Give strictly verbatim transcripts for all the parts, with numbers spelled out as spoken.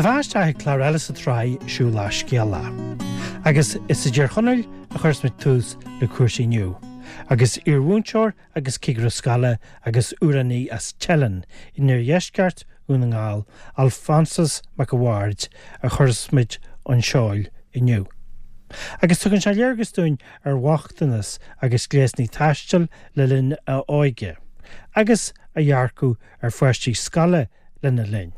Fáilte isteach ag clár eile sa tsraith Siúlach Scéalach. Agus is i dTír Chonaill a chuireas muid tús le cúrsaí inniu. Agus iarmhúinteoir agus cigire scoile agus amhránaí as Teileann in iardheisceart Dhún na nGall, Alphonsus Mac a' Bhaird a chuireas muid an seol inniu. Agus tugann sé léargas dúinn ar bhochtanas agus gléasanna taistil le linn a óige, agus a dhearcadh ar pháistí scoile lena linn.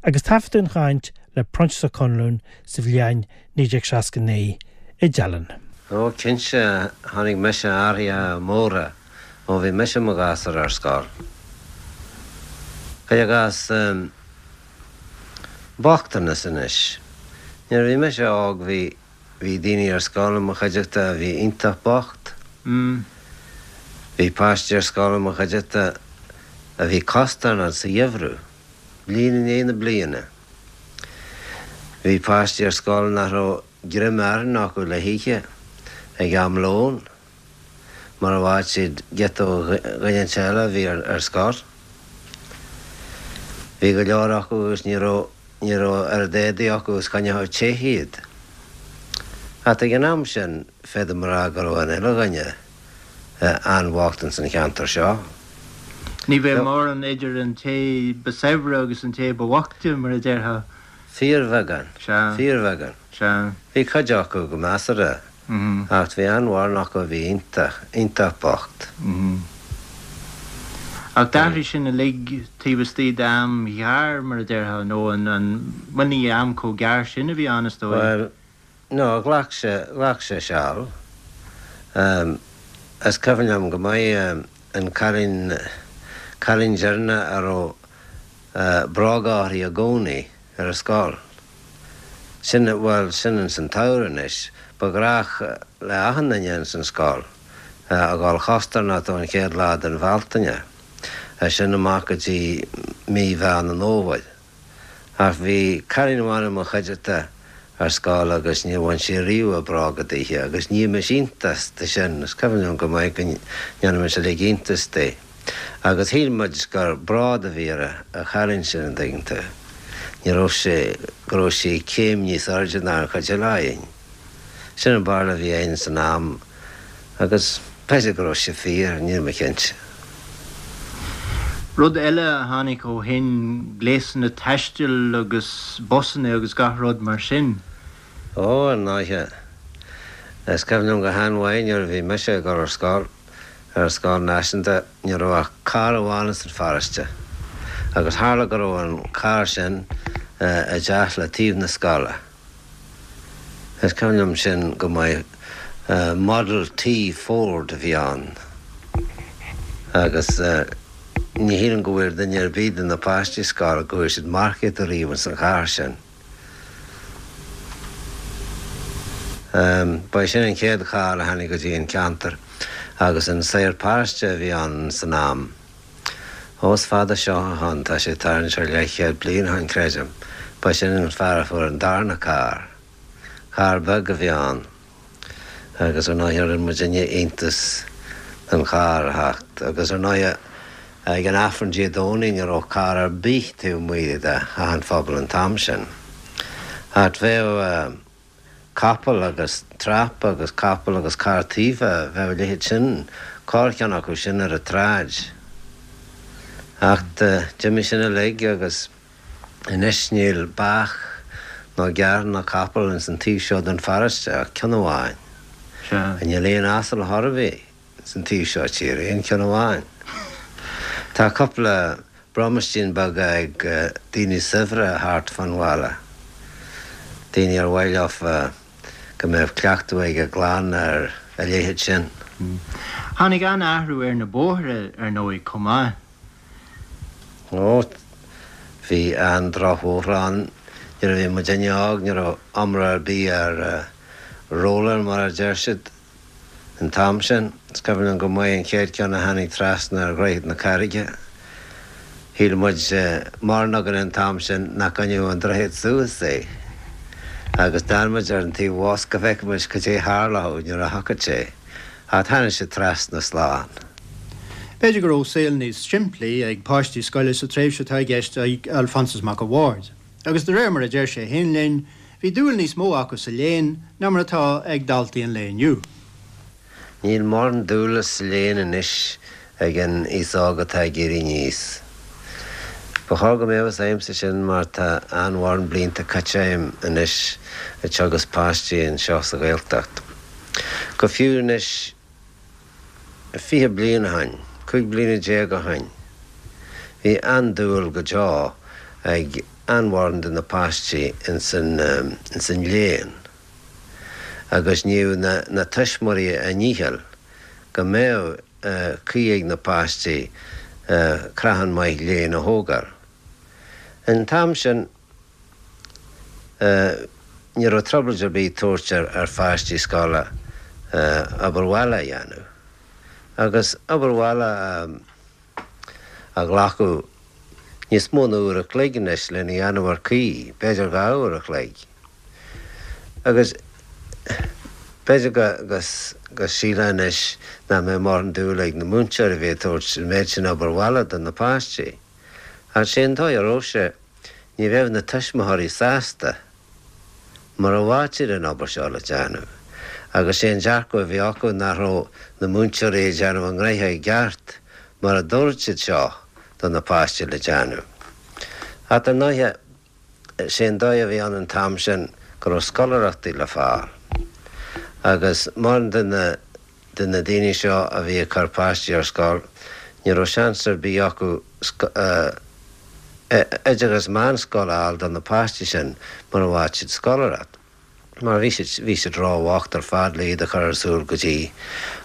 Agus taifeadadh an chaint le Proinsias Ó Conluain sa bhliain naoi déag seasca naoi i dTeileann. Ó cinnte tháinig mise athruithe móra ó bhí mise i mo ghasúr ar scoil. Cuir i gcás bochtanas anois. Nuair a bhí mise óg bhí bhí daoine ar scoil i mo chuideachta a bhí iontach bocht. Bhí páistí ar scoil i mo chuideachta a bhí costarnocht sa gheimhreadh, bliain i ndiaidh na bliana. Bhí páistí ar scoil nach raibh greim aráin acu le hithe ag am lóin, mura bhfaigheadh siad giota ó dhuine eile a bhí ar scor. Bhí go leor acu agus ní raibh ní raibh oiread éadaí acu is choinneodh te iad. Ach ag an am sin féadaim a rá go raibh an uile dhuine an-bhocht ins an cheantar seo. Ní bheadh mórán idir an té ba saibhre agus an té ba bhoichte mar a déarfá. Fíorbheagán. Sea. Fíorbheagán. Sea. Bhí cuid acu go measartha ach bhí an-mhórán acu a bhí iontach, iontach bocht. Ach d'athraigh sin uilig taobh istigh d'am ghearr mar a déarfá nó an an bhuel ní am chomh gearr sin a bhí ann is dóigh. Bhuel, no, ghlac sé, ghlac sé seal. Is cuimhin liom go maith an cailín, cailín deireanach a raibh bróga uirthi i gcónaí ar an scoil. Sin, bhuel, sin ins an tsamhradh anois. Ba ghnách le achan duine ins an scoil a dhul chostarnocht ón chéad lá den Bhealtaine, as sin amach go dtí mí Mheán an Fhómhair. Ach bhí cailín amháin i mo chuideachta ar scoil agus níor bhain sí riamh a bróga dithe agus nímis iontas de sin, is cuimhin liom go maith go ndéanaimis uilig iontas di. Agus shíl muid gur bród a bhí ar an chailín sin, an dtuigeann tú. Ní raibh sé, go raibh sí céim níos airde ná an chuid eile againn. Sin an barúil a bhí againn san am agus b'fhéidir go raibh sé fíor, níl mé cinnte. Rud eile a tháinig ó shin, gléasanna taistil agus busanna agus gach rud mar sin. Ó, ar ndóighe. Is cuimhin liom go han-mhaith nuair a bhí mise ag dul ar scoil, ar an scoil náisiúnta, ní raibh ach carr amháin san pharóiste. Agus tharla go raibh an carr sin i dteach le taobh na scoile. Is cuimhin liom sin go maith. Model T Ford a bhí ann. Agus ní shílim go bhfuair duine ar bith de na páistí scoile go bhfuair siad marcaíocht ariamh ins an charr sin. Ba é sin an chéad charr a tháinig go dtí an ceantar agus an saor paróiste a bhí ann san am. Ó is fada seo ó shin, tá sé tarraingt ar leathchéad bliain ó shin, creidim. Ba sin an fear a fuair an darna carr. Carr beag a bhí ann agus ar ndóighe rinne muidinne iontas den charr a theacht agus ar ndóighe ag an Aifreann Dé Domhnaigh ní raibh carr ar bith taobh amuigh de theach an phobail an t-am sin. Ach bheadh capall agus trap agus capall agus carr taofa, bheadh a leithéid sin, corrcheann acu sin ar an tsráid. Ach d'imigh sin uilig agus anois níl beach ná gearr ná capall ins an taobh seo den pharóiste ach ceann amháin. Sea. Níl aon asal chor ar bith ins an taobh seo tíre, aon cheann amháin. Tá cúpla bromaistín beaga ag daoine saibhre thart fán bhaile, daoine ar mhaith leofa go mbeadh cleachtadh ag a gclann ar a leithéid sin. Tháinig an-athrú ar na bóithre, ar ndóigh, chomh maith. Ó, bhí an-drochbhóithre ann nuair a bhí muidinne óg, ní raibh iomrá ar bith ar roller mar a deir siad. An t-am sin, is cuimhin liom go maith an chéad cheann a tháinig trasna ar Dhroichead na Carraige. Shíl muid, mórán againn an t-am sin, nach gcoinneodh an droichead suas é. Agus d'fhan muid ar an taobh abhus go bhfeicfeadh muid cad é tharlódh nuair a thiocfadh sé. Ach tháinig sé trasna slán. B'fhéidir go raibh saol níos simplí ag páistí scoile sa tréimhse atá i gceist ag Alphonsus Mac a' Bhaird. Agus de réir mar a deir sé féin linn, bhí dúil níos mó acu sa léann ná mar atá ag daltaí an lae inniu. Níl mórán dúile sa léann anois ag an aos óg atá ag éirí aníos. Ba chóir go mbeadh a fhios agamsa sin mar tá an-mhórán blianta caite agam anois ag teagasc páistí anseo sa Ghaeltacht. Go fiú anois fiche bliain ó shin, cúig bliana déag ó shin, bhí an-dúil go deo ag an-mhórán de na páistí ins an ins an léann agus ní na, na tuismitheoirí a ndícheall go mbeadh caoi ag na páistí craiceann maith léinn a thógáil. An t-am sin ní raibh trioblóid ar bith tabhairt ar ar pháistí scoile obair bhaile a dhéanamh. Agus obair bhaile a ghlacadh níos mó ná uair a chloig anois lena dhéanamh ar caoi, b'fhéidir dhá uair a chloig. Agus b'fhéidir go go go sílfeá anois nach mbeadh mórán dúil ag na múinteoirí a bhí ag tabhairt an méid sin obair bhaile do na páistí. Ach sé an dóigh a raibh sé, ní bheadh na tuismitheoirí sásta mura bhfaigheadh siad an obair seo le déanamh. Agus sé an dearcadh a bhí acu nach raibh na múinteoirí ag déanamh a ngnoithe i gceart mar a dúirt siad seo do na páistí le déanamh. Ach ar ndóighe, sé an dóigh a bhí ann an t-am sin go raibh scoláireachtaí le fáil. Agus mórán de na de na daoine seo a bhí ag cur páistí ar scoil, ní raibh seans ar bith acu oideachas meánscoile a fháil do na páistí sin mura bhfaigheadh siad scoláireacht. Mar bhí siad bhí siad róbhocht ar fad le iad a chur ar siúl go dtí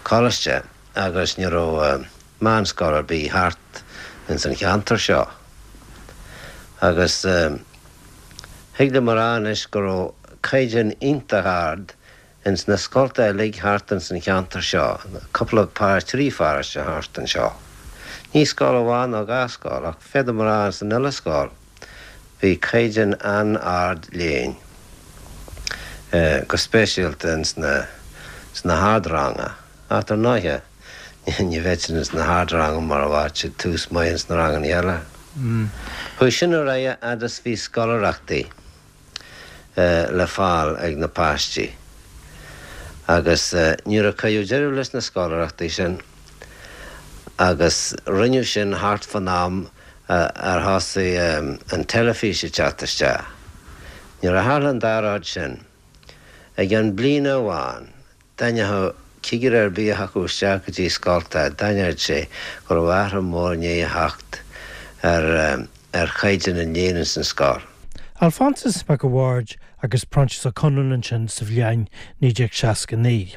coláiste agus ní raibh meánscoil ar bith thart ins an cheantar seo. Agus thig liom a rá anois go raibh caighdeán iontach ard ins na scolta uilig thart ins an cheantar seo, cúpla par trí pharóiste thart anseo. Ní scoil amháin nó dhá scoil ach féadaim a rá ins an uile scoil bhí caighdeán an-ard léinn, go speisialta ins na sna hardranga. Ach ar ndóighe ní bheadh siad ins na hardranga mura bhfaigheadh siad tús maith ins na ranganna eile. Chuaigh sin ar aghaidh fhad is bhí scoláireachtaí le fáil ag na páistí. Agus nuair a cuireadh deireadh leis na scoláireachtaí sin, agus rinneadh sin thart fan am ar thosaigh an teilifís ag teacht isteach, nuair a tharla an dá rud sin, i gceann bliana amháin, d'aithneodh cigire ar bith a thiocfadh isteach go dtí scolta, d'aithneodh sé go raibh athrú mór i ndiaidh a theacht ar ar chaighdeán an léinn ins an scoil. Alphonsus Mac a' Bhaird agus Proinsias Ó Conluain ansin sa bhliain naoi déag seasca naoi.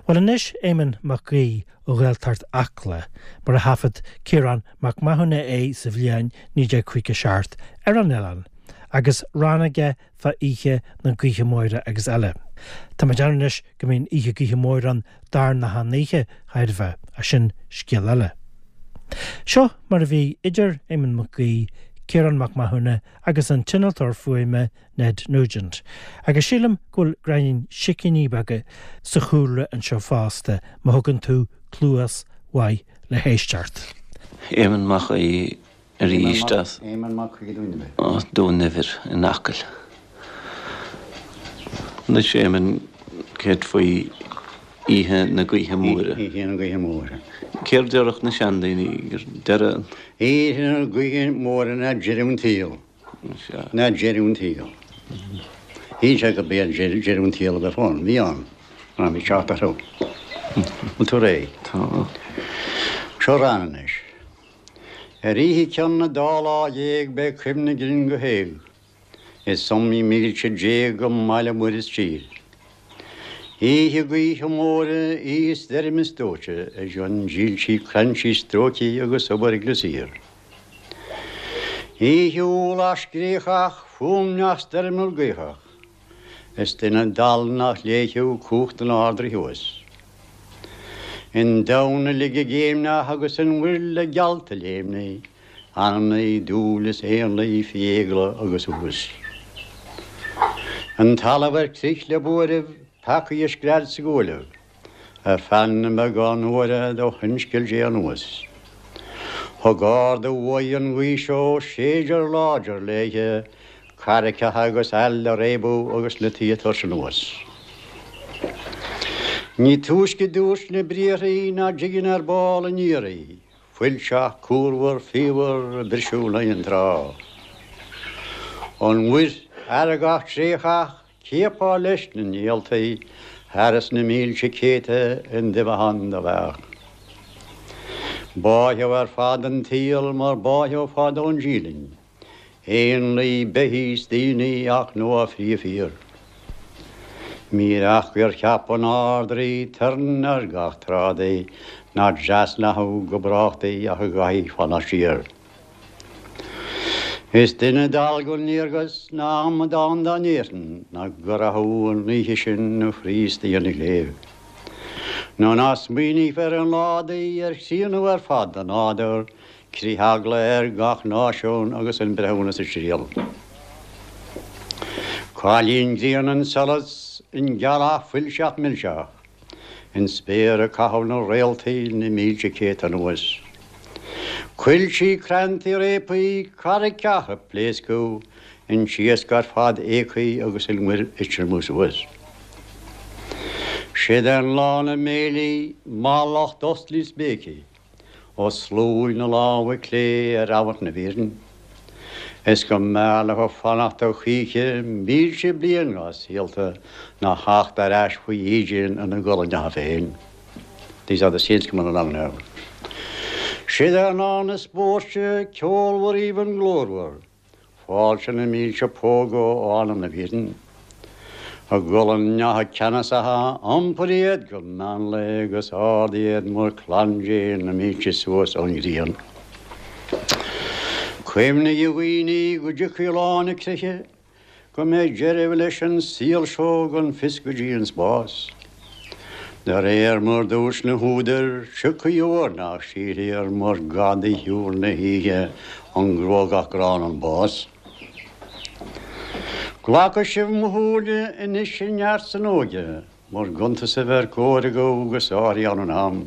Bhuel anois Éamonn Mac Aoidh ó Ghaeltacht Acla, mar a thaifead Ciarán Mac Mathúna é sa bhliain naoi déag caoga seacht ar an oileán agus rann aige fá oíche na gaoithe móire agus eile. Tá mé ag déanamh anois go mbíonn oíche gaoithe móire ann darna han oíche, chairbhe, ach sin scéal eile. Seo mar a bhí idir Éamonn Mac Aoidh, Ciarán Mac Mathúna agus an t-innealtóir fuaime Ned Nugent. Agus sílim go bhfuil gráinnín sicíní beaga sa chúlra anseo fosta má thugann tú cluas mhaith le héisteacht. Éamonn Mac Aoidh arís as Éamonn Mac Aoidh Dún Eibhir. Dún Eibhir in Acaill. Anois Éamonn, céard faoi Oíche na Gaoithe Móire? Oíche na Gaoithe Móire. Céard déarfadh na seandaoine gur deireadh an. Oíche na Gaoithe Móire ná deireadh an tsaoil. Ná deireadh an tsaoil. Shíl sé gurb é deireadh an tsaoil a bheadh ann. Bhí ann. Ná bhí teacht orthu. Bhfuil tú réidh? Tá. Seo rann anois. Ar oíche cionn an dá lá dhéag beidh cuimhne grinn go héag. Is iomaí mílte d'éag i mBaile Mhuire is tír. Oíche gaoithe móire, oíche stoirme is dóite, i gcionn dílsí crainnte stróicthe agus obair ag siar. Oíche ualach scréachach, fuaimneach stoirmiúil gaothach, is duine dall nach léifeadh cumhacht an Ard-Rí thuas. An domhan uilig ag géimneach agus an mhuir le geallta léimní, anamnaí, dúil is éanlaith faoi eagla agus uas. An talamh ar crith le buaireamh, peacaí ag scread 's ag uailleamh, ar feadh na mbeagán uaire do shoinscéal Dé anuas. Thug ardú uaidh an ghaoth seo séidear láidir léithe carraigeacha agus aill a réabadh agus na tithe tabhairt anuas. Ní túisce dúirt na briathra ná dtigeann ar ball aniar í, fuilteach, cúrmhar, fíochmhar, ag briseadh in aghaidh an trá. An mhuir fheargach traochach, cheapfá leis na néaltaí thar na mílte céadta an duibheagán do bheadh. Báitheadh ar fad an tsaol mar báitheadh fadó an dílinn, éanlaith, beithígh 's daoine ach nó a phríomhfhíor. Míreach gur cheap an Ard-Rí turn ar gach trádaí nach dtrasnódh go brách di ach a gcaithfí fanacht siar. Is duine dall gan léargas ná amadán dá ndéarfainn nach gcuirfeadh an oíche sin a chroí istigh ina chléibh. Nó ná smaoineofar ar an lá di ar chríonnú ar fad an nádúir, critheagla ar gach náisiún agus an breithiúnas ag triall. Cailín grian an solas an ghealach fuilteach millteach, an spéir ag caitheamh na réaltaí na mílte céad anuas. Coilltí cranntaí réabtha carraigeacha ag pléascadh an t-iasc ar fad éagtha agus an mhuir ag triomú suas. Sid é an lá na mbéilí mallacht osclaí is béicí, ó sluaigh na lámha clé ar amharc na bhfírinne. Is go mb'fhearr leo fanacht ó choíche mílte bliain dá saolta ná theacht ar ais faoi ídín ina gcolainneacha féin. These are the saints coming along now. Sid é an lá na spóirte ceolmhar aoibhinn glórmhar, fáilte na mílte póga ó anam na bhfírinne. A gcolainneacha ceannasacha iompair iad go meánlae agus ard iad mar chlann Dé na mílte suas ón ghrian. Cuimhnigh a dhaoine go dtiocfaidh lá na creiche, go mbeidh deireadh leis an saol seo gan fios go dtí an spás. De réir mar dúirt na húdair, tiocfaidh uair nach sílfear mar gadaí shiúl na hoíche an gruagach gránna an bás. Glacadh sibh mo shúile anois i neart san óige, mar gcuntasaibh ar comhaireadh agus áirí ann an am.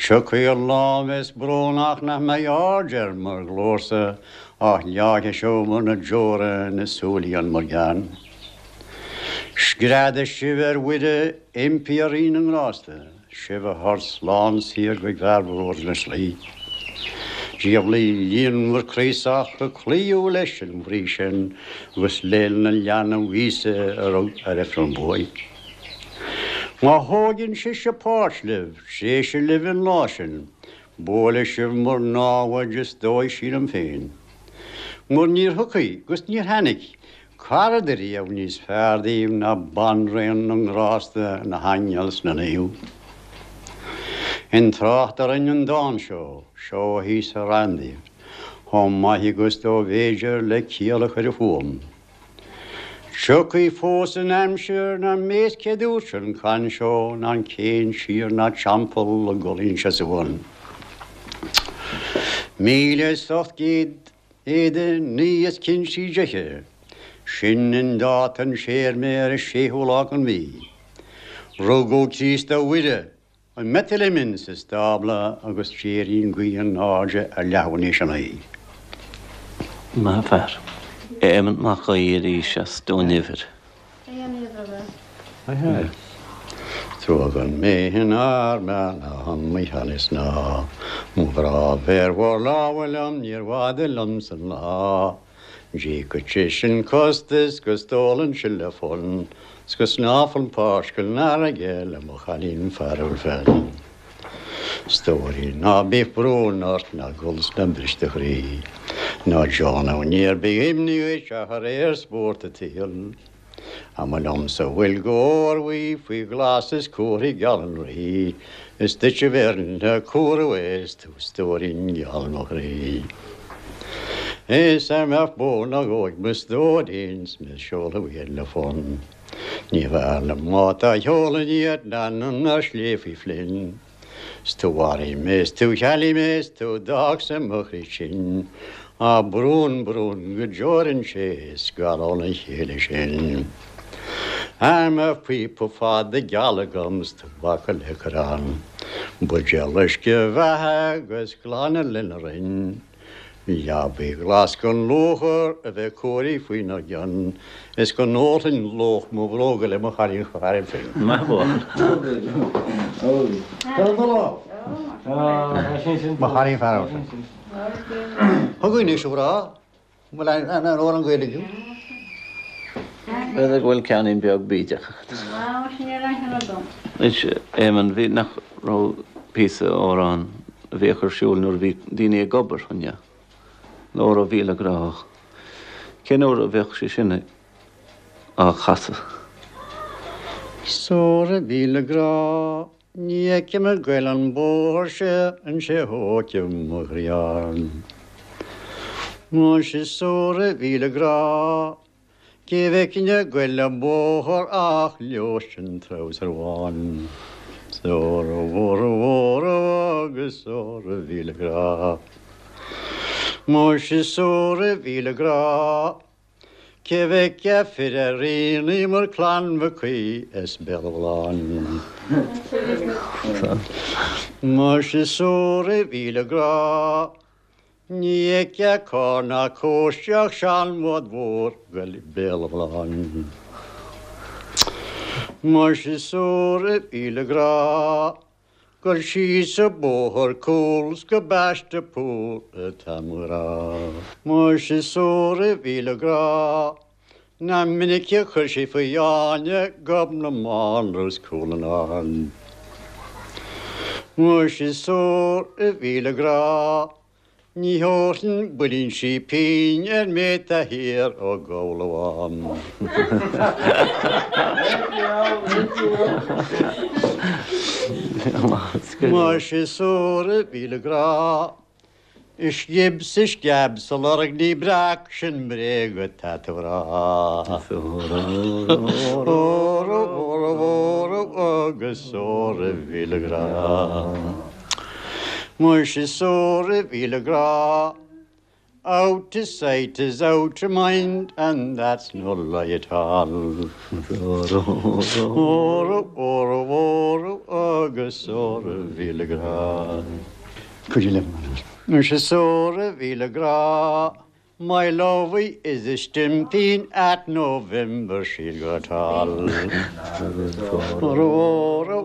Tiocfaidh an lá bheas brónach nach mbeidh aird ar mo ghlórsa ach leáigh seo mar na deora na súilí an mar gceann. Screadadh sibh ar Mhuire impí a Rí na nGrásta, sibh a thabhairt slán saor go bhfearbróir na slí. Diabhlaí líonmhar craosach a cloíodh leis an bhrí sin agus leil na leanbh Íosa a rug ar Ifreann buaidh. Má thógann sise páirt libh, tréise libh an lá sin, buailfidh sibh mar námhaid is dóigh sílim féin. Mar níor thiocfaidh agus níor tháinig cara riamh níos fearr daoibh ná banríon na ngrásta na haingil 's na naomh. In trácht a rinne an dán seo, seo thíos a rann daoibh, chomh maith agus dó bhféidir le ciall a chur i fuaim. Tiocfaidh fós an aimsir ná méas cé dúirt an can seo ná an céin siar ná teampall a gcolainn se suan. Míle is ocht gcéad éide naoi is cinntí deche, sin an dáta an séir mé ar a séú lá an mhí. Rugadh Críost a Mhuire, i mBeitlehem sa stábla agus séirín gaoth an airde ar leathmhain sin í. Maith fear. Éamonn Mac Aoidh arís as Dún Uimhir. Tugann mé in arme an míchanis ná, Mo bhrá bhar mhór láhfuil liom níor bhada liom san lá. Dí go sin costas go stólan si le fon, 's go snáfan páisce náige le mo chailín fearúil féin. Stóirín ná bí brón ort ná gol 's ná bris do chroí, Ná John níor bí imní a ar spórt a tsaoil. A ma liomsa bhfuil górmhaí faoi ghlas is cuathí geal an rí, Is duit a bheirn na cuaú is tú stóirín geal mo chroí. Is ar mbeadh bó ná góig mo stóirín 's mé seoladh iad le fonn. Ní bhfearr liom má tá sheolann iad ná na sléibh faoi Flynn. 'S tú mharaigh mé 's tú chealaigh mé 's tú d'fhág sa mo chroí tinn, Á brún brún go deorann sé scar óna chéile sin. Ar mo phíopa fada geal agam 's tobac le cur ann, Buidéal uisce bheatha agus glanadh lena rinn. Leabaidh ghlas gan luachair a bheith cóirithe faoina gcionn, is go n-ólfainn lóch mo bhróga le mo chailín fearainn féin. Maith bhuel. Mo chailín fearainn féin. Thug anois a ghrá, bhfuil an amhrán Gaeilge? B'fhéidir go bhfuil ceainnín beag bídeach agat. Anois, Éamonn, bhí nach raibh píosa amhrán a bhíodh ar siúl nuair a bhí daoine ag obair, an ea? Óra mhíle grá. Cén uair a bheadh sé sin á chasadh? 'S óra mhíle grá, ní fheicim ag goil an bóthar seo an sé thóigfidh mo ghrian. Muise 's óra mhíle grá, cé bhfeicfinn ag goil an bóthar ach Leois an treabhsar bhán. 'S óra mhóra mhóra agus óra mhíle grá. Muise 's óra mhíle grá, cé bhfeicfeá fir ar aonaigh mar Clann Mhic Aoidh as Béal Átha Bhláin. Muise 's óra mhíle grá, ní fheicfeá carr ná cóiste ach seanbhád mhór goil Béal Átha Bhláin. Muise 's óra mhíle grá, Goil síos an bóthar cúl 's go Baiste Pool atá mo ghrá. Muise 's óra mhíle grá, nach minic a chuir sé faoi fháinne Gob na mBánra is Cúl an Ard. Muise 's óra mhíle grá, ní thabharfainn builín sípín ar méid atá thiar ó Ghabhla Bhán. Muise 's óra mhíle grá, is sciob 's is sceab 's a lorg ní breac sin bréag atá tú a rá. Óra mhóra mhóra agus óra mhíle grá. Muise 's óra mhíle grá, out of sight is out of mind, and that's no lie at all. Óra, óra, óra, agus óra mhíle grá. Could you live Muise 's óra mhíle grá, my lovey is a stimpeen at November she'll go tall. Óra, óra,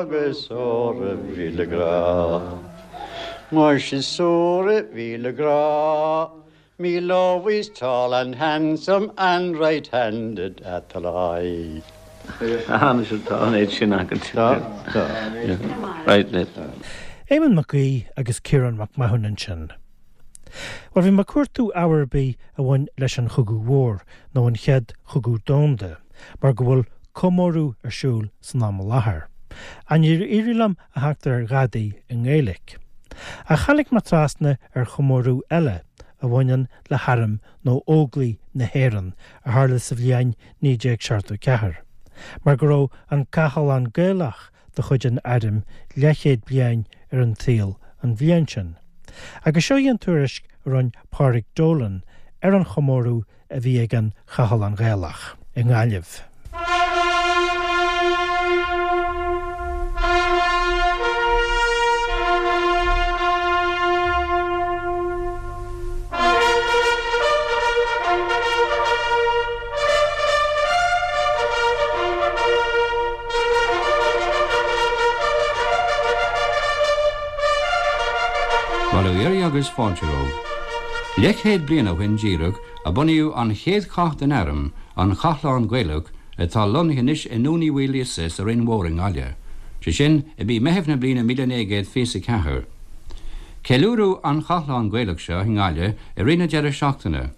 agus óra mhíle grá. Muise 's óra mhíle grá, me lovey's tall and handsome and right-handed at the lie. Tháinig sé tá an éad sin agat. Tá, tá. Right, let. Éamonn Mac Aoidh agus Ciarán Mac Mathúna ansin. Well bhí mé ag cuartú ábhar ar bith a bhain leis an Chogadh Mhór nó an Chéad Chogadh Domhanda, mar go bhfuil comóradh ar siúl san am i láthair. Ach níor éirigh liom a theacht ar dhadaí i nGaeilge. Ach tháinig mé trasna ar chomóradh eile a bhaineann le harm nó Óglaigh na hÉireann a tharla sa bhliain naoi déag seachtó ceathair, mar go raibh an Cathlán Gaelach de chuid an airm leathchéad bliain ar an tsaol an bhliain sin. Agus seo í an tuairisc a rinne Pádraig Dolan ar an chomóradh a bhí ag an Chathlán Gaelach i nGaillimh. Bail ó Dhia oraibh agus fáilte romhaibh. Leathchéad bliain ó shin díreach a bunaíodh an chéad chath den arm, an Cathlán Gaelach, atá lonnaithe anois i nDún Uí Mhaoilíosa sa Rinn Mhór i nGaillimh. Sé sin i mí Meithimh na bliana míle naoi gcéad fiche a ceathair. Ceiliúradh an Chathlán Gaelach seo i nGaillimh i rith na deireadh seachtaine,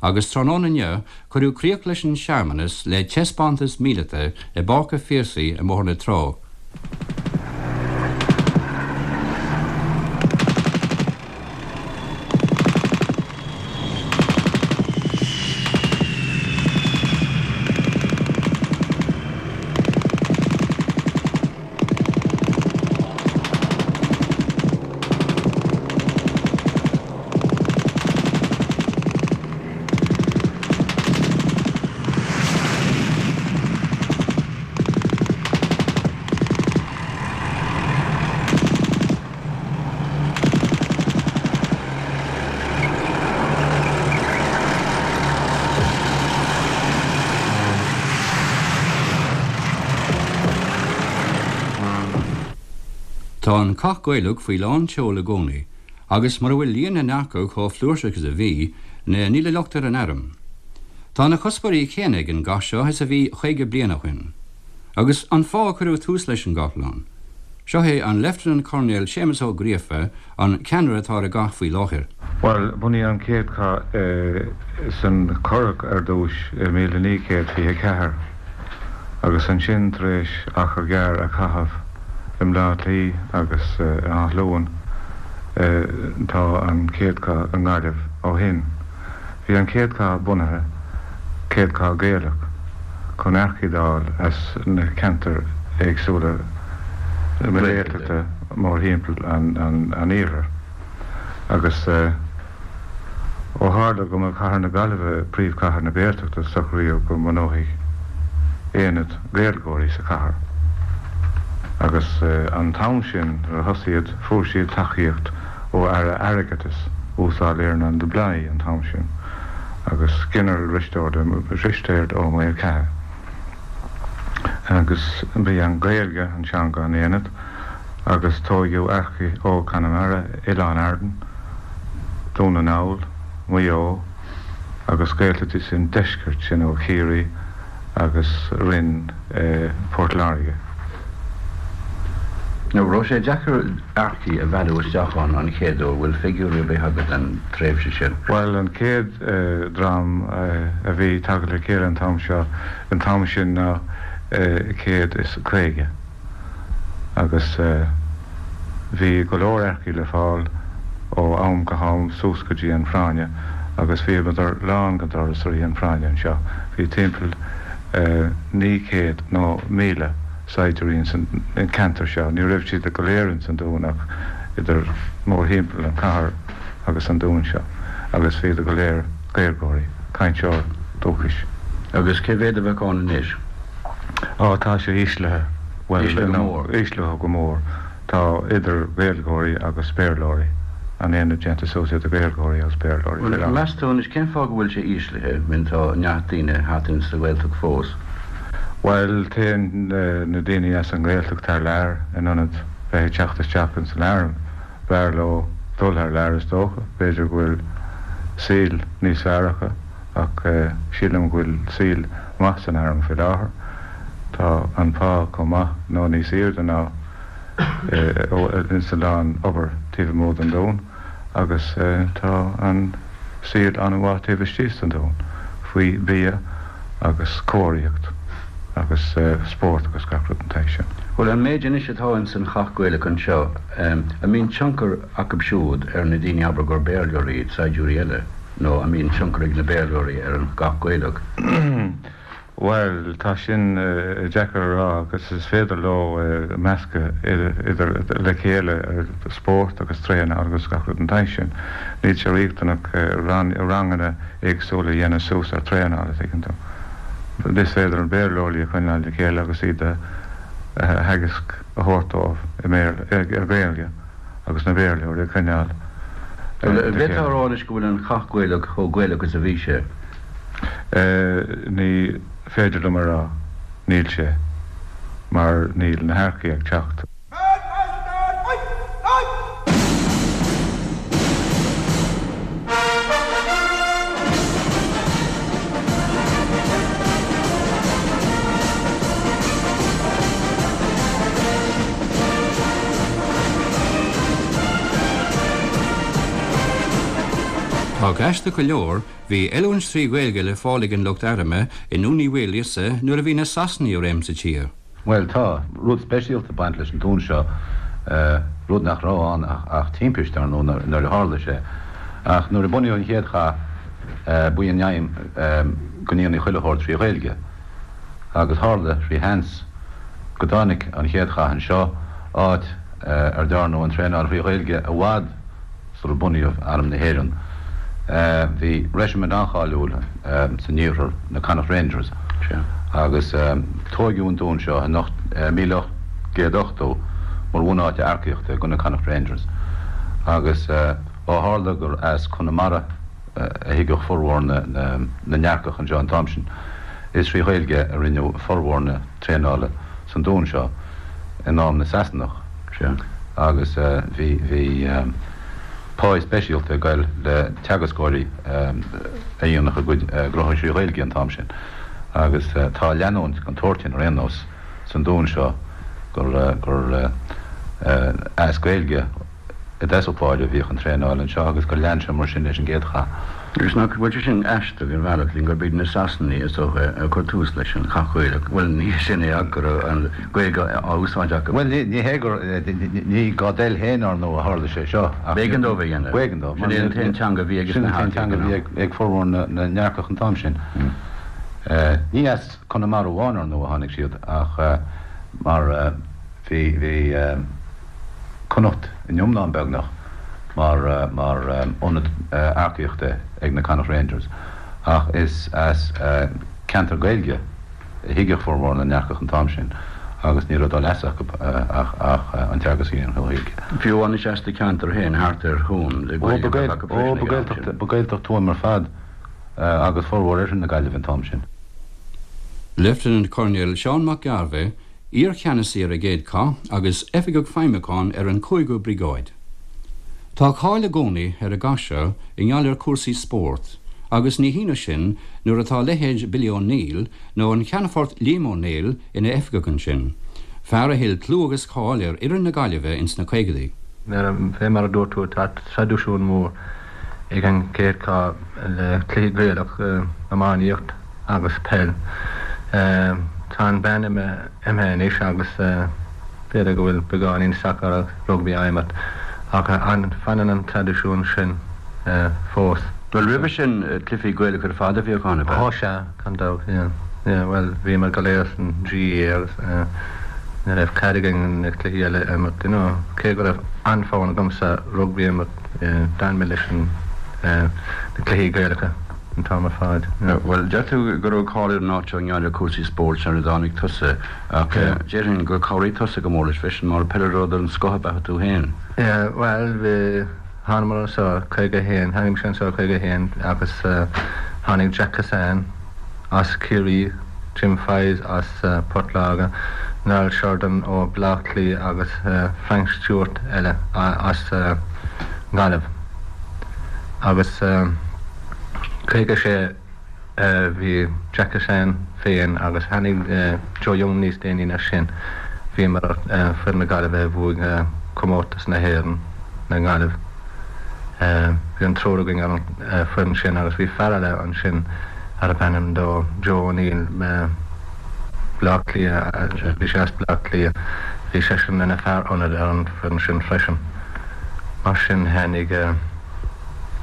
agus tráthnóna inniu cuireadh críoch leis an searmanas le taispeántas míleata i bPáirc an Phiarsaigh i mBóthar na Trá. Tá an Cath Gaelach faoi lán tseoil i gcónaí, agus mura bhfuil líon na n-earcach chomh flúirseach is a bhí, níl locht ar an arm. Tá na cuspóirí céanna ag an gcath seo is a bhí caoga bliain ó shin. Agus an fáth a cuireadh tús leis an gcathlán. Seo é an Lieutenant Colonel Séamus Ó Gríofa an ceannaire atá ar an gcath faoi láthair. Bhuel, bunaíodh an chéad chath san Churrach ar dtús i míle naoi gcéad fiche a ceathair agus ansin tar éis achar gearr a chaitheamh i mBleá Cliath agus in Áth Luain tá an chéad chath i nGaillimh ó shin. Bhí an chéad chath bunaithe, céad chath Gaelach, chun earcaigh d'fháil as na ceantair éagsúla Gaeltachta mórthimpeall an iarthair. Agus ó tharla go mba cathair na Gaillimhe príomhchathair na Gaeltachta socraíodh go mbunófaí aonad Gaeilgeoirí sa chathair. Agus an t-am sin nuair a thosaigh iad fuair siad tacaíocht ó Aire Airgeadais Uasal Earnán de Blaghd an t-am sin agus Ginearál Risteard Ó Maolchatha. Agus bhí an Ghaeilge an teanga an aonad agus tógadh earcaigh ó Conamara, Oileáin Árann, Dún na nGall, Maigh Eo agus Gaeltachtaí san deisceart sin ó Chiarraí agus Rinn Port Láirge. Nó raibh sé deacair earcaigh a mhealladh isteach ann an chéad uair, bhfuil figiúirí ar bith agat den tréimhse sin? Bhuel an chéad dream a bhí tagtha le chéile an t-am seo, an t-am sin ná céad is caoga agus bhí go leor earcaigh le fáil ó am go ham suas go dtí an phráinne agus bhíodar lán go doras i rith an phráinne anseo. Bhí timpeall naoi gcéad nó míle saighdiúirí ins an ceantar seo. Ní raibh siad go léir ins an Dún ach idir mórthimpeall an chathair agus an Dún seo agus bhíodar go léir Gaeilgeoirí, cainteoir dúchais. Agus cé mhéad a bheadh ann anois? Ó tá sé íslithe. Bhuel, Íslithe go mór. Íslithe go mór. Tá idir Ghaeilgeoirí agus Béarlóirí. An aonad déanta suas idir Gaeilgeoirí agus Béarlóirí. Bhuel, meas tú anois cén fáth go bhfuil sé íslithe, min tá neart daoine thart ins sa Ghaeltacht fós? Bhuel, téann na daoine as an nGaeltacht thar lear in ionad bheith ag teacht isteach ins an arm. B'fhearr leo dul thar lear is dócha, b'fhéidir go bhfuil saol níos fearr acu ach sílim go bhfuil saol maith san arm faoi láthair. Tá an pá chomh maith nó níos airde ná ins a lán obair taobh amuigh den Dún agus tá an saol an-mhaith taobh istigh den Dún faoi bia agus cóiríocht agus spórt agus gach rud den tsaghas sin. Bhuel an méid anois atá ins an chath Gaelach anseo, an mbíonn tionchar acu siúd ar na daoine abair gur Béarlóirí iad, saighdiúirí eile, nó an mbíonn tionchar ag na Béarlóirí ar an gcath Gaelach? Bhuel, tá sin deacair a rá agus is féidir leo meascadh idir le chéile spórt agus traenáil agus gach rud den tsaghas sin. Níl sé riachtanach ranganna éagsúla a dhéanamh suas ar traenáil, a thuigeann tú. Is féidir an Béarlóirí a choinneáil le chéile agus iad a theagasc a thabhairt dóibh i Gaeilge agus na Béarlóirí a choinneáil le chéile. Bhféadfá a rá anois go bhfuil an chath Gaelach chomh Gaelach is a bhí sé? Ní féidir liom a rá, níl sé, mar níl na hearcaigh ag teacht. Ach aisteach go leor, bhí oiliúint trí Ghaeilge le fáil ag an lucht airm i nDún Uí Mhaoilíosa nuair a bhí na Sasanaigh i réim sa tír. Bhuel tá rud speisialta ag baint leis an dún seo, rud nach raibh ann ach timpiste ar ndóigh nuair a tharla sé. Ach nuair a bunaíodh an chéad chath, ba í an aidhm go ndéanfaí chuile shórt trí Ghaeilge. Agus tharla trí sheans go dtáinig an chéad chath anseo, áit ar dearnadh an traenáil thrí Ghaeilge i bhfad sular bunaíodh Arm na hÉireann. Bhí reisimint an-cháiliúil san iarthar, na Connacht Rangers, agus tóigeadh an dún seo in míle ocht gcéad ochtó mar bhunáit earcaíochta do na Connacht Rangers. Agus ó tharla gur as Conamara a thigeadh formhór na n-earcach anseo an t-am sin, is trí Ghaeilge a rinneadh formhór na traenála san dún seo in am na Sasanach. agus bhí bhí pá speisialta ag goil le teagascóirí a dhéanfadh a gcuid gnóthaí trí Ghaeilge an t-am sin agus tá leanúint den tsórt sin ar aon nós san Dún seo gur gur as Gaeilge i dtosach báire a bhíodh an traenáil anseo agus gur lean sé mar sin leis an gcéad chath. Agus nach bhfuil sé sin aisteach ar bhealach linn gurb iad na Sasanaigh is dócha a chuir tús leis an chath Gaelach. Bhuel, ní hé sin é ach go raibh an Ghaeilge á úsáid acu. Bhuel, ní hé gur, ní dá dtoil féin, ar ndóigh, a tharla sé seo ach. B'éigean dóibh a dhéanamh. B'éigean dóibh. Sin é an t-aon teanga a bhí ag Sin an t-aon teanga a bhí ag formhór na n-earcach an t-am sin. Ní as Conamara amháin, ar ndóigh, a tháinig siad ach mar bhí, bhí Connacht in iomlán beagnach mar mar ionad earcaíochta ag na Connacht Rangers ach is as ceantar Gaeilge a thigeadh formhór na n-earcach an t-am sin agus ní raibh dá leas acu ach ach an teagasc a dhéanamh i nGaeilge. Fiú amháin as do cheantar féin thart ar Thuaim le Ó Gaeilge a bheith acu ó freisin ba ag an am Gaeltacht sin. ba Gaeltacht Tuaim ar fad agus formhór oirthear na Gaillimhe an t-am sin. Lieutenant Colonel Seán Mac Gairbheith, iarcheannasaí ar an gcéad chath agus oifigeach feidhmiúcháin ar an cúigiú Briogáid. Tá cáil i gcónaí ar an gcath seo i ngeall ar chúrsaí spóirt, agus ní hionadh sin nuair atá leithéid Billy O'Neill nó an Ceannfort Liam Ó Néill ina oifigeach ansin, fear a thuill clú agus cáil ar fhoireann na Gaillimhe ins na caogaidí. Fé mar a dúirt tú, tá traidisiún mór ag an gcéad chath le cluichí Gaelach, iománaíocht agus peil. Tá an bean imithe anois agus b'fhéidir go bhfuil beagáinín sacar agus rugbaí á imirt ach fanann an traidisiún sin fós. Bhuel, roimhe sin, cluichí Gaelacha ar fad a bhíodh ann, ab ea? Ó sea, gan dabht, yeah. Yeah, bhuel, bhíomar go léir san GAA agus ní raibh cead againn na cluichí eile a imirt, you know. Cé go raibh an-fhonn agamsa rugbaí a imirt, d'fhan mé leis an na cluichí Gaelacha an t-am ar fad. Bhuel, deir tú go raibh cáil ar an áit seo i ngeall ar chúrsaí spóirt sar a dtáinig tusa, ach déarfainn gur chabhraigh tusa go mór leis freisin, mar peileadóir den scoth ab ea tú féin. Yeah, bhuel, bhí, thánamar anseo caoga a haon, tháinig mise anseo caoga a haon agus tháinig Jack Kissane as Ciarraí, Jim Fyes as Port Láirge, Niall Sheridan ó Bhaile Átha Cliath agus Frank Stewart eile as Gaillimh. Agus caoga sé bhí Jack Kissane féin agus tháinig Joe Young níos déanaí ná sin. Bhíomar ar foireann na Gaillimhe a bhuaigh comórtas na hÉireann le Gaillimh. Bhí an triúr againn ar an foireann sin agus bhí fear eile ansin arbh ainm dó Joe O'Neill, Baile Átha Cliath, bhí sé as Baile Átha Cliath, bhí seisean ina fear ionaid ar an foireann sin freisin. Mar sin tháinig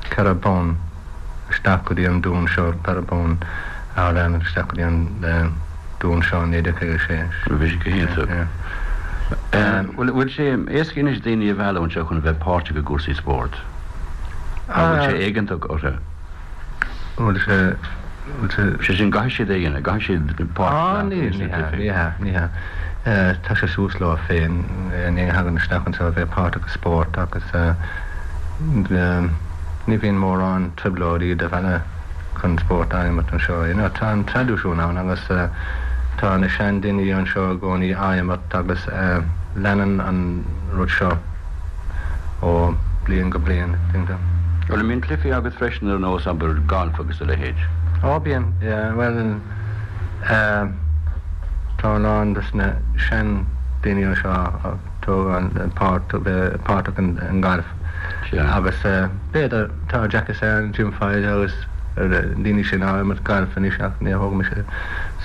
ceithre bonn isteach go dtí an Dún seo, ceithre bonn All-Ireland isteach go dtí an Dún seo in naoi déag caoga a sé. Bhí sé go hiontach. Bhfuil sé éasca anois daoine a mhealladh anseo chun a bheith páirteach i gcúrsaí spóirt? An bhfuil sé éigeantach orthu? Bhfuil sé, bhfuil sé. Sé sin, gcaithfidh siad é a dhéanamh, gcaithfidh siad páirt a Ah, ní, ghlacadh ní sna hea, cluichí. ní hea, ní hea. Tá sé suas leo féin, ní thagann isteach anseo a bheith páirteach i spórt agus ní bhíonn mórán trioblóidí do mhealladh chun spórt a imirt anseo. You know, tá an traidisiún ann agus tá na seandaoine anseo i gcónaí á imirt agus leanann an rud seo ó bliain go bliain, tuigim. Bhuel, an mbíonn cluichí agat freisin ar nós, abair, galf agus a leithéid? Ó, bíonn, yeah, bhuel, tá a lán dos na seandaoine anseo ag tógáil páirt, bheith páirteach in galf. Agus b'fhéidir, tá Jack Kissane, Jim Fyes agus na daoine sin á imirt galf anois ach ní thóg mise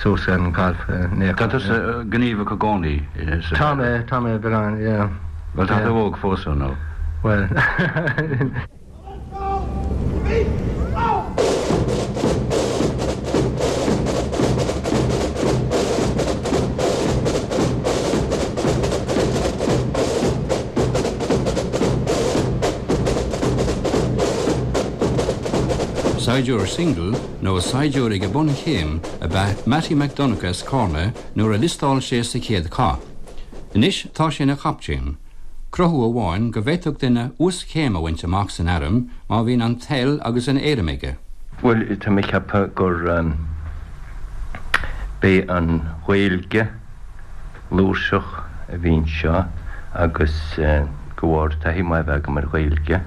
suas an galf in aon Tá chor. tusa gníomhach i gcónaí sa Tá mé, tá mé beagán, yeah. Bhuel, tá tú óg fós, ar ndóigh. Bhuel. Saighdiúir singil nó saighdiúir ag an bunchéim ab ea Mattie Mac Donncha as Carna nuair a liostáil sé sa chéad chath. Anois tá sé ina chaptaen. Cruthú amháin go bhféadfadh duine uaschéim a bhaint amach san arm má bhíonn an toil agus an éirim aige. Bhuel, tá mé ag ceapadh gur b'é an Ghaeilge fhlúirseach a bhí anseo agus De bharr taithí maith a bheith agam ar Ghaeilge,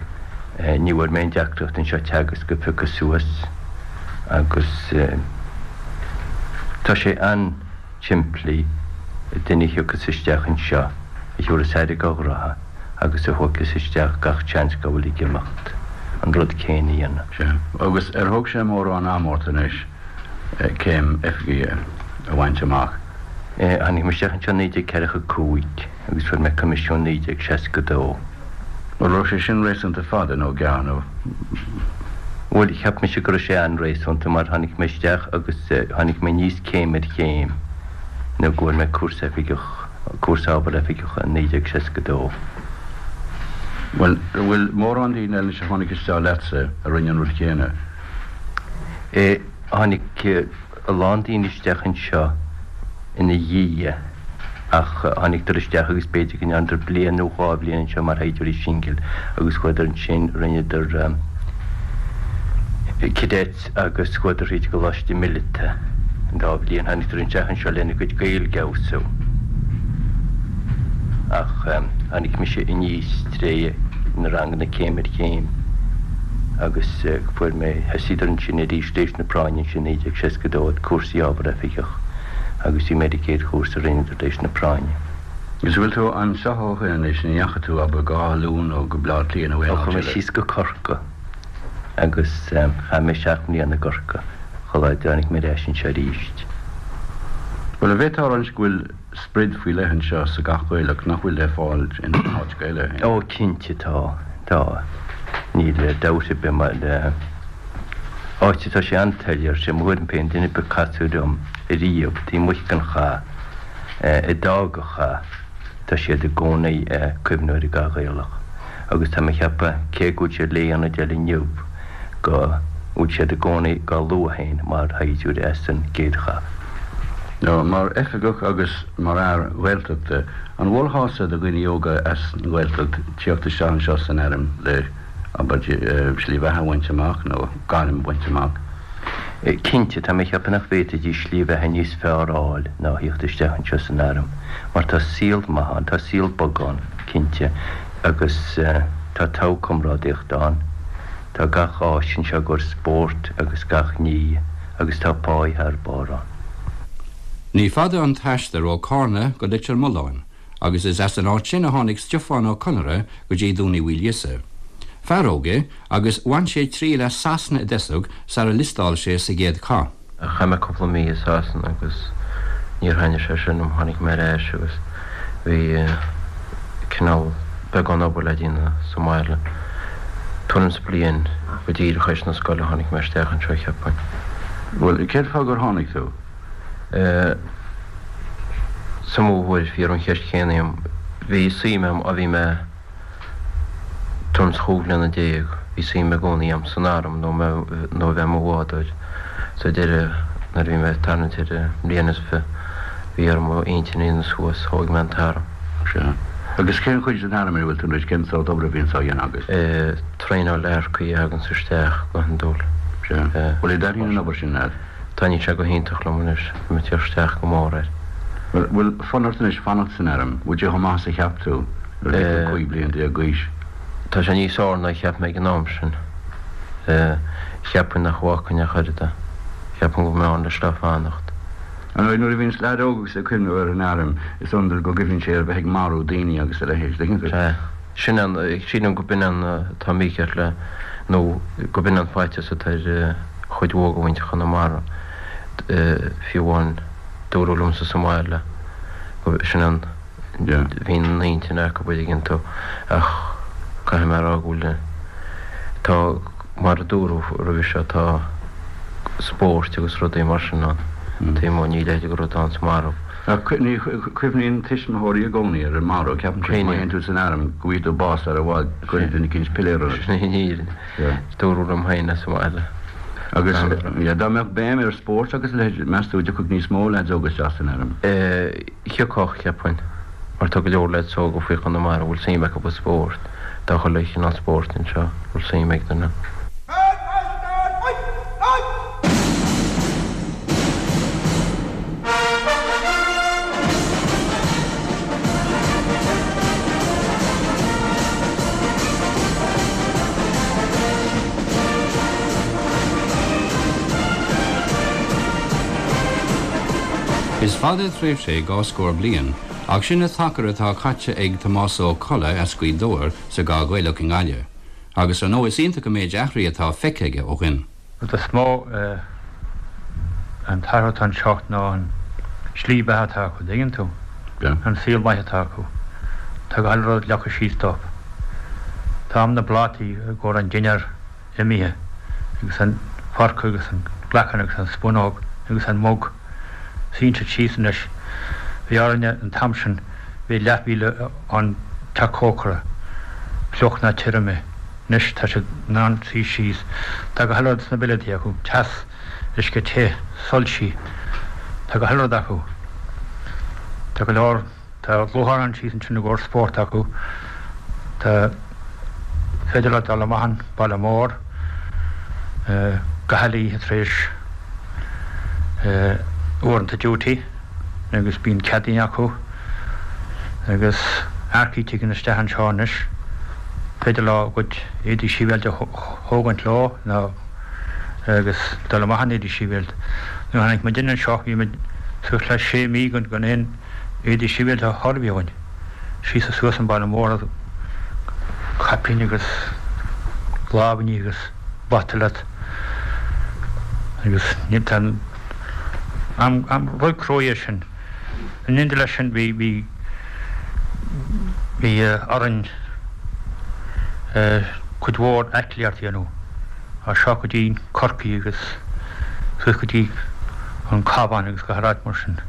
ní bhfuair mé aon deacracht anseo teagasc a phiocadh suas agus tá sé an-simplí duine a thiocfas isteach anseo a thabharfas aire dá ghraithe agus a thógfas isteach gach seans dá bhfuil ag imeacht an rud céanna a dhéanamh. Sea. Agus ar thóg sé mórán ama ort anois céim oifigigh a bhaint amach? Tháinig mé isteach anseo naoi déag ceathracha cúig agus fuair mé coimisiún naoi déag seasca dó. An raibh sé sin réasúnta fada nó gearr nó? Bhuel, cheap mise go raibh sé an-réasúnta mar tháinig mé isteach agus tháinig mé aníos céim ar chéim nó go bhfuair mé cúrsa oifigeach, cúrsa ábhar oifigeach i naoi déag seasca dó. Bhuel, an bhfuil mórán daoine eile anois a tháinig isteach leatsa a rinne an rud céanna? Tháinig a lán daoine isteach anseo ina dhiaidh ach tháinigdar isteach agus b'fhéidir go ndearnadar bliain nó dhá bhliain anseo mar shaighdiúirí singil agus chuadar ansin, rinneadar cadets agus chuadar thríd an gcoláiste míleata an dá bhliain. Tháinigdar isteach anseo lena gcuid Gaeilge a fheabhsú ach tháinig mise aníos tré na ranganna céim ar chéim agus fuair mé, thosaíodar ansin arís tar éis na práinne ansin naoi déag seasca dó ag cúrsaí ábhar oifigeach agus bhí mé ar an gcéad chúrsa a rinneadar tar éis na práinne. Agus bhfuil tú anseo ó shin anois, an ndeachaigh tú, abair, go Áth Luain nó go Baile Átha Cliath nó aon Ó áit chuaigh mé eile? síos go Corcaigh agus chaith mé seacht mbliana i gCorcaigh shula dtáinig mé ar ais anseo arís. Bhuel, an bhféadfá a rá anois go bhfuil sprid faoi leith anseo sa gCath Ghaelach nach bhfuil le fáil in áit eile? Ó, cinnte tá, tá. Níl dabht ar bith mar áit atá sé an-soiléir, sé mo thuairim féin, duine ar bith a casadh liom ariamh taobh amuigh den chath, a d'fhág an chath, tá siad i gcónaí ag cuimhniú ar an gCath Ghaelach. Agus tá mé ag ceapadh, cé go bhfuil siad le ionaid eile inniu, go bhfuil siad i gcónaí dhá lua féin mar shaighdiúirí as an gcéad chath. Nó mar oifigeach agus mar fhear Gaeltachta, an mholfása do dhaoine óga as an nGaeltacht tíocht isteach anseo san arm le, abair, slí bheatha a bhaint amach nó gairm a bhaint amach? Cinnte, tá mé ag ceapadh nach bhféadfaidís slí bheatha níos fearr a fháil ná a thíocht isteach anseo san arm, mar tá saol maith ann, tá saol bog ann, cinnte, agus tá togha comrádaíochta ann, tá gach áis anseo i gcomhair spóirt agus gach ní, agus tá páí thar barr ann. Ní fada an t-aistear ó Carna go Leitir Mealláin, agus is as an áit sin a tháinig Stiofán Ó Conaire go dtí Dún Uí Mhaoilíosa. Fear óg é agus bhain sé triail as Sasana i dtosach sara liostáil sé sa gcéad chath. Chaith mé cúpla mí i Sasana agus níor thaitnigh sé sin liom, tháinig mé ar ais agus bhí cineál beagán obair le déanamh sa mbaile. Tuairim is bliain go díreach théis na scoile tháinig mé isteach anseo, cheapfainn. Bhuel, cén fáth gur tháinig tú? Sa mó huair bhí an cheist chéanna agam. Bhí suim agam ó bhí mé tuairim is chúig bhliana déag, bhí suim i gcónaí agam san arm nó nó a bheith i mo bhádóir. Sa deireadh, nuair a bhí mé ag tarraingt ar mbliain is fiche, bhí orm mo intinn a dhéanamh suas, thóg mé an t-arm. Sea. Agus cén chuid den arm ina bhfuil tú anois, cén sórt obair a bhíonns á dhéanamh agat? Traenáil earcaí a thaganns isteach go hiondúil. Sea. Bhuel, an dtaitníonn an obair sin leat? Taitníonn sé go hiontach liom anois, tá mé ag teacht isteach go mór air. Bhuel, bhfuil fonn ort anois fanacht san arm? Bhfuil sé chomh maith is a cheap tú nuair a bhí tú cúig bliana déag d'aois? Tá sé níos fearr ná a cheap mé ag an am sin. Cheapfainn nach bhfágfainn ach oiread é. Cheapfainn go bhfuil mé ann leis le fanacht. Ar ndóigh, nuair a bhíonns leaid óg agus é ag cuimhneamh ar an arm, is iondúil go gcuimhníonn sé ar bheith ag marú daoine agus a leithéid, tuigeann tú? Sea. Sin an, sílim go b'in an atá mícheart le, nó go b'in an faitíos atá ar chuid mhór de mhuintir Chonamara, fiú amháin dúradh liomsa sa mbaile go, sin an, bhí an intinn acu an dtuigeann tú, ach caithfidh mé a rá go bhfuil, tá, mar a dúradh roimhe seo, tá spóirt agus rudaí mar sin ann, taobh amuigh, ní leithéid de rud ann sa marú. Ach ní chuimhníonn tuismitheoirí i gcónaí ar an marú, ceapann siad má théann tú san arm go bhfaighidh tú bás sar i bhfad, cuirfidh duine eicínt piléar ort. Sin í an fhírinne. Dúradh liom féin as an mbaile. Agus dá mbeadh béim ar spórt agus a leithéid, meas tú an dtiocfadh níos mó leaids óga isteach san arm? Thiocfadh, cheapfainn, mar tá go leor leaids óga faoi Chonamara a bhfuil suim acu i spórt. Tá chuile chineál spóirt anseo a bhfuil suim ag duine. Is fada tréimhse é dhá scór bliain, ach sin an t-achar atá caite ag Tomás Ó Colla as Gaoth Dobhair sa gCath Ghaelach i nGaillimh. Agus ar ndóigh is iontach an méid athraithe atá feicthe aige ó shin. Rud is mó an t-athrú atá anseo ná an slí beatha atá acu, dtuigeann tú? An saol maith atá acu. Tá gach rud leagtha síos dóibh. Tá am na bplátaí i gcomhair an dinnéar imithe agus an fork agus an glacán agus an spúnóg agus an mug. Suíonn siad síos anois. Bhí orainne an t-am sin, bhí leathmhíle ón teach cócaire, fliuch ná tirim é. Anois tá siad in ann suí síos. Tá gach uile rud sna billetaí acu, teas, uisce te, soilsí. Tá gach uile rud acu. Tá go leor, tá lúcháir síos ansin i gcomhair spórt acu. Tá féidir leat dul amach an baile mór gach uile oíche tar éis uaireanta duty agus bíonn ceadaín acu agus earcaigh tagann isteach anseo anois. Féidir leo a gcuid éadaí sibhialta a thógaint leo nó agus dul amach in éadaí sibhialta. Nuair a tháinig muid anseo bhí muid suas le sé mí gan gan aon éadaí sibhialta a chur againn. Síos is suas an baile mór caipín agus lámhainní agus bata leat agus níl tá am am rud cruaidh é sin. In éindí leis sin bhí bhí bhí orainn cuid mhór aclaíocht a dhéanamh as seo go dtí Corcaigh agus suas go dtí an Cabhán agus gach áit mar sin.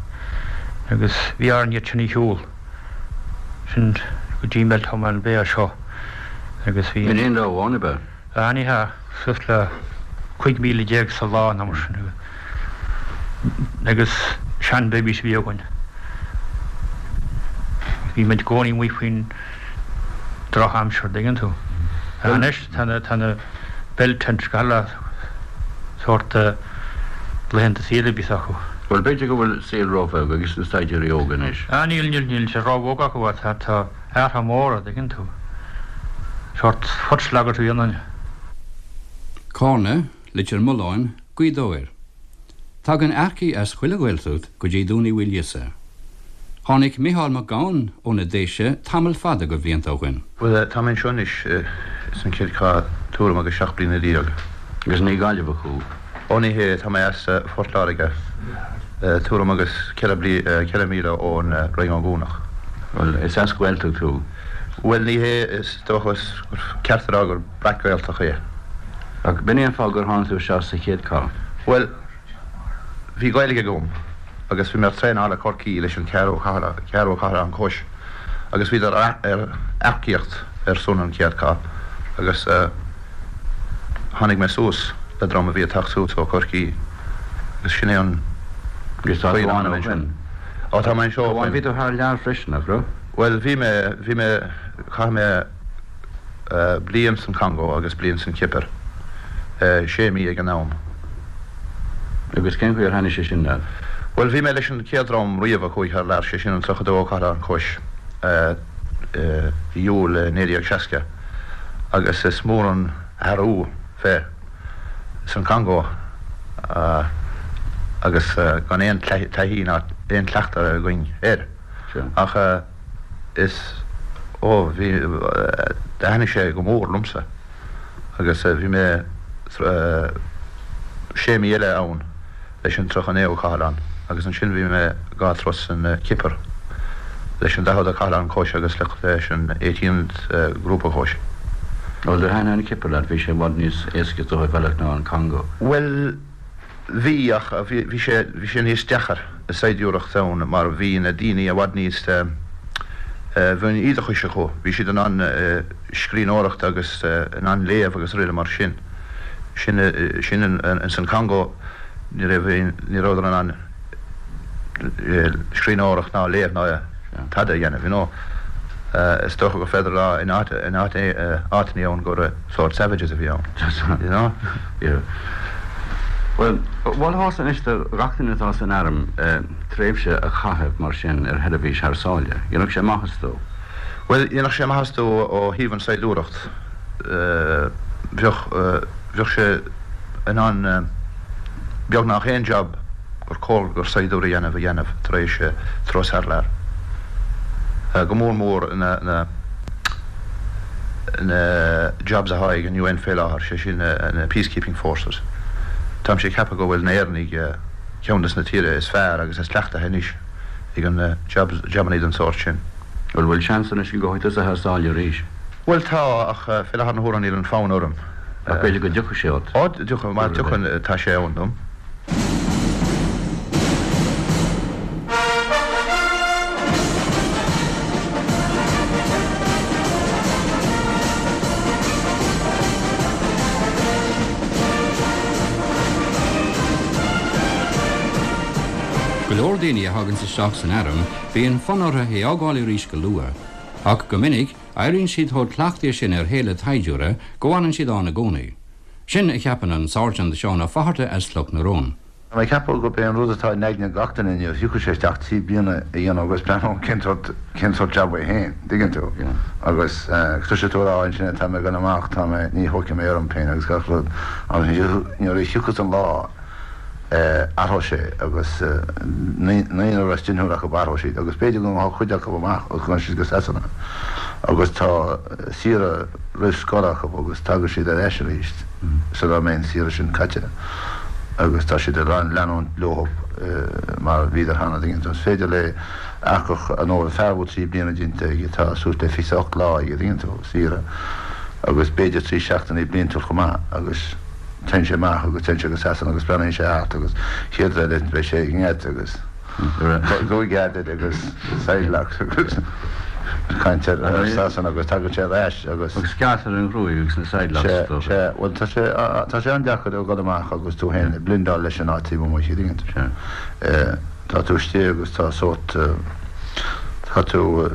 Agus bhí orainn iad sin a shiúl sin go dtí Bealtaine Bhéal seo agus bhí In aon lá amháin ab ea? Ah ní hea, suas le cúig míle déag sa lá nó mar sin agus sean-bibbies a bhí againn. Bhí muid i gcónaí amuigh faoin drochaimsir, dtuigeann tú. Anois tá na tá na bell tents gach uile sórt laethanta saoire a bhíos acu. Bhuel b'fhéidir go bhfuil saol róbheag agus na saighdiúirí óga anois. Ah níl níl níl sé róbheag acu tá tá athruithe móra, dtuigeann tú. Sórt foot slogger a dhéanann. Cárna, Leitir Mealláin, Gaoth Dobhair. Tagann earcaigh as chuile Ghaeltacht go dtí Dún Uí Mhaoilíosa. Tháinig Micheál Mac Gabhann ó na Déise tamall fada de bhlianta ó shin. Well tá mé anseo anois san chéad chath tuairim agus seacht bliana déag. Agus ní Gaillimheach thú. Ó ní hé tá mé as Phort Láirge tuairim agus ceithre míle ón Rinn Ó gCuanach. Well is as Gaeltacht thú. Well ní hé is dócha ceart a rá gur breac-Ghaeltacht é. Ach b'in é an fáth gur tháinig tú isteach sa chéad chath. Well bhí Gaeilge agam agus bhí mé traenáil le Corcaigh leis an ceathrú ceathrú cathair cois agus bhí ar ar earcaíocht ar son an chéad chath agus tháinig mé suas le dream a bhí ag teacht suas ó Chorcaigh agus sin é an Agus tá tú ann ó shin. Ó tá mé anseo Bhí tú thar lear freisin, nach raibh? Well bhí mé bhí mé chaith mé bliain san Congo agus bliain san Chipir. sé mí ag an am. Agus cén chaoi ar tháinig sé sin leat? Well bhí mé leis an chéad dream riamh a chuaigh thar lear sé sin an tríocha dó cathair an cois Iúil naoi déag seasca agus is mór an athrú bheith san Congo agus gan aon taithí ná aon cleachtadh againn air. Ach is ó bhí thaitnigh sé go mór liomsa agus bhí mé sé mí eile ann leis an tríocha naoú cathlán agus ansin bhí mé dhá turas san Chipir leis an daicheadú cathlán cois agus leis an eighteenth grúpa cois. Well do thaitnigh an Chipir leat bhí sé i bhfad níos éasca do bhealach ná an Congo. Well bhí ach bhí sé bhí sé níos deacair i saighdiúireacht ann mar bhí na daoine i bhfad níos bhí an oideachas acu, bhí siad in ann scríbhneoireacht agus in ann léamh agus rudaí mar sin. Sin sin in san Congo ní raibh ní raibh in ann scríbhneoireacht ná léamh ná tada a dhéanamh, you know. Is dócha gur féidir lá in áit in áit áiteanna ann gur sort savages a bhí ann. You know? Yeah. Well, mholfása anois do gach duine atá san arm tréimhse a chaitheamh mar sin ar sheirbhís thar sáile. Dhéanfadh sé maitheas dó. Well, dhéanfadh sé maitheas dó ó thaobh an saighdiúireacht. Bheadh bheadh sé in ann beagnach aon job gur cóir gur saighdiúir a dhéanamh a dhéanamh tar éis turas thar lear. Go mór mór na na na jobs atá ag an UN fé láthair, sé sin na peacekeeping forces. Táimse ag ceapadh go bhfuil na hÉireannaigh ceann des na tíortha is fearr agus is cleachtaithe anois ag an jobs jabanna den sórt sin. Bhuel bhfuil seans anois go gabhfaidh tusa thar sáile arís? Bhuel tá ach fé láthair na huaire níl an fonn orm. Ach b'fhéidir go dtiocfaidh sé ort? Ó tiocfaidh, má tiocfaidh tá sé ann dom. Go leor daoine a thaganns isteach san arm, bíonn fonn orthu é fhágáil arís go luath. Ach go minic, éiríonn siad chomh cleachtaithe sin ar shaol an tsaighdiúra go bhfanann siad ann i gcónaí. Sin a cheapann an Sáirsint Seán Ó Fatharta as Cloch na Rón. Tá mé ag ceapadh gurb é an rud atá in aigne gach duine inniu, thiocfadh sé isteach trí bliana a dhéanamh agus breathnú cén sórt cén sórt jab é féin, dtuigeann tú? Agus toiseoidh tú a rá ansin tá mé ag dul amach, tá mé, ní thógfaidh mé orm féin agus gach rud. Agus nuair a thiocfas an lá, athróidh sé agus naonúr as deichniúr acu athróidh siad agus b'fhéidir go ngabhfaidh cuid acu amach agus go ngabhfaidh siad go Sasana agus tá saoire roimh scor acu agus tagann siad ar ais arís sula mbeidh an saoire sin caite agus tá siad ag leanúint leo mar bhíodar cheana dtuigeann tú. Is féidir le earcach an fear a bhfuil trí bliana déanta aige tá suas le fiche ocht lá aige dtuigeann tú, saoire agus b'fhéidir trí seachtainí bliantúil chomh maith agus Téann sé amach agus téann sé go Sasana agus breathnaíonn sé thart agus chéad rud eile beidh sé i ngead agus cúig ghead agus sidelocks agus caint ar Sasana agus tagann sé ar ais agus. Agus gearrtar an ghruaig agus na sidelocks Sea, sea, bhuel tá sé, tá sé an-deacair a dhul amach agus tú féin ag blendáil leis an áit taobh amuigh, tuigeann tú. Sea. Tá tú istigh agus tá sórt. Tá tú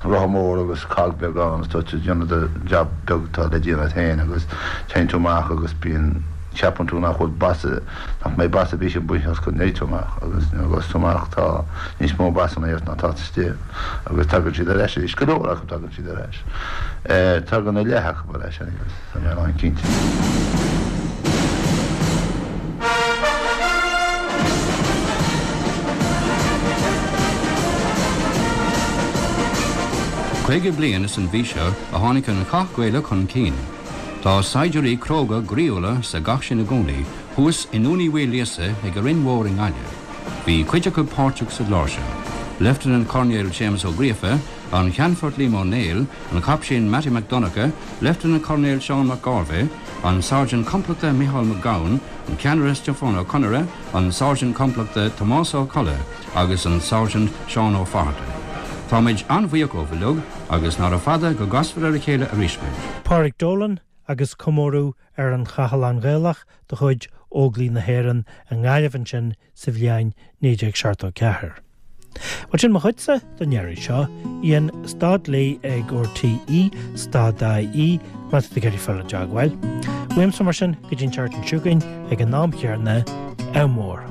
rotha mór agus cog beag ann agus tá tú ag déanamh do jab beag atá le déanamh agat féin agus téann tú amach agus bíonn, ceapann tú nach bhfuil bas, nach mbeidh bas ar bith amuigh ort go dtéann tú amach agus nuair a ghabhas tú amach tá níos mó basanna ort ná atá istigh agus tagann siad ar ais arís, go leor acu tagann siad ar ais. Tagann a leath acu ar ais anyways, tá mé lán cinnte. Caoga bliain is an mhí seo a tháinig an Cath Gaelach chun cinn. Tá saighdiúirí cróga groíúla sa gcath sin i gcónaí, thuas i nDún Uí Mhaoilíosa ag an Rinn Mhór i nGaillimh. Bhí cuid acu páirteach sa gclár seo. Leifteanant Coirnéal Séamus Ó Gríofa, an Ceannfort Liam Ó Néill, an Caiptín Mattie Mac Donncha, Leifteanant Coirnéal Seán Mac Gairbheith, an Sáirsint Complachta Micheál Mac Gabhann, an Ceannaire Stiofán Ó Conaire, an Sáirsint Complachta Tomás Ó Colla agus an Sáirsint Seán Ó Fatharta. Táimid an-bhuíoch díobh uilig agus nára fada go gcasfar ar a chéile arís muid. Pádraig Dolan agus comóradh ar an Chathlán Gaelach de chuid Óglaigh na hÉireann i nGaillimh ansin sa bhliain naoi déag seachtó ceathair. Bhuel sin mo chuidse don iarraidh seo, Ian stad léi ag RTÉ stad IE má tá tú ag iarraidh fáil i dteagmháil. Uaimse mar sin go dtí an tseachtain seo chugainn ag an am chéanna, ádh mór.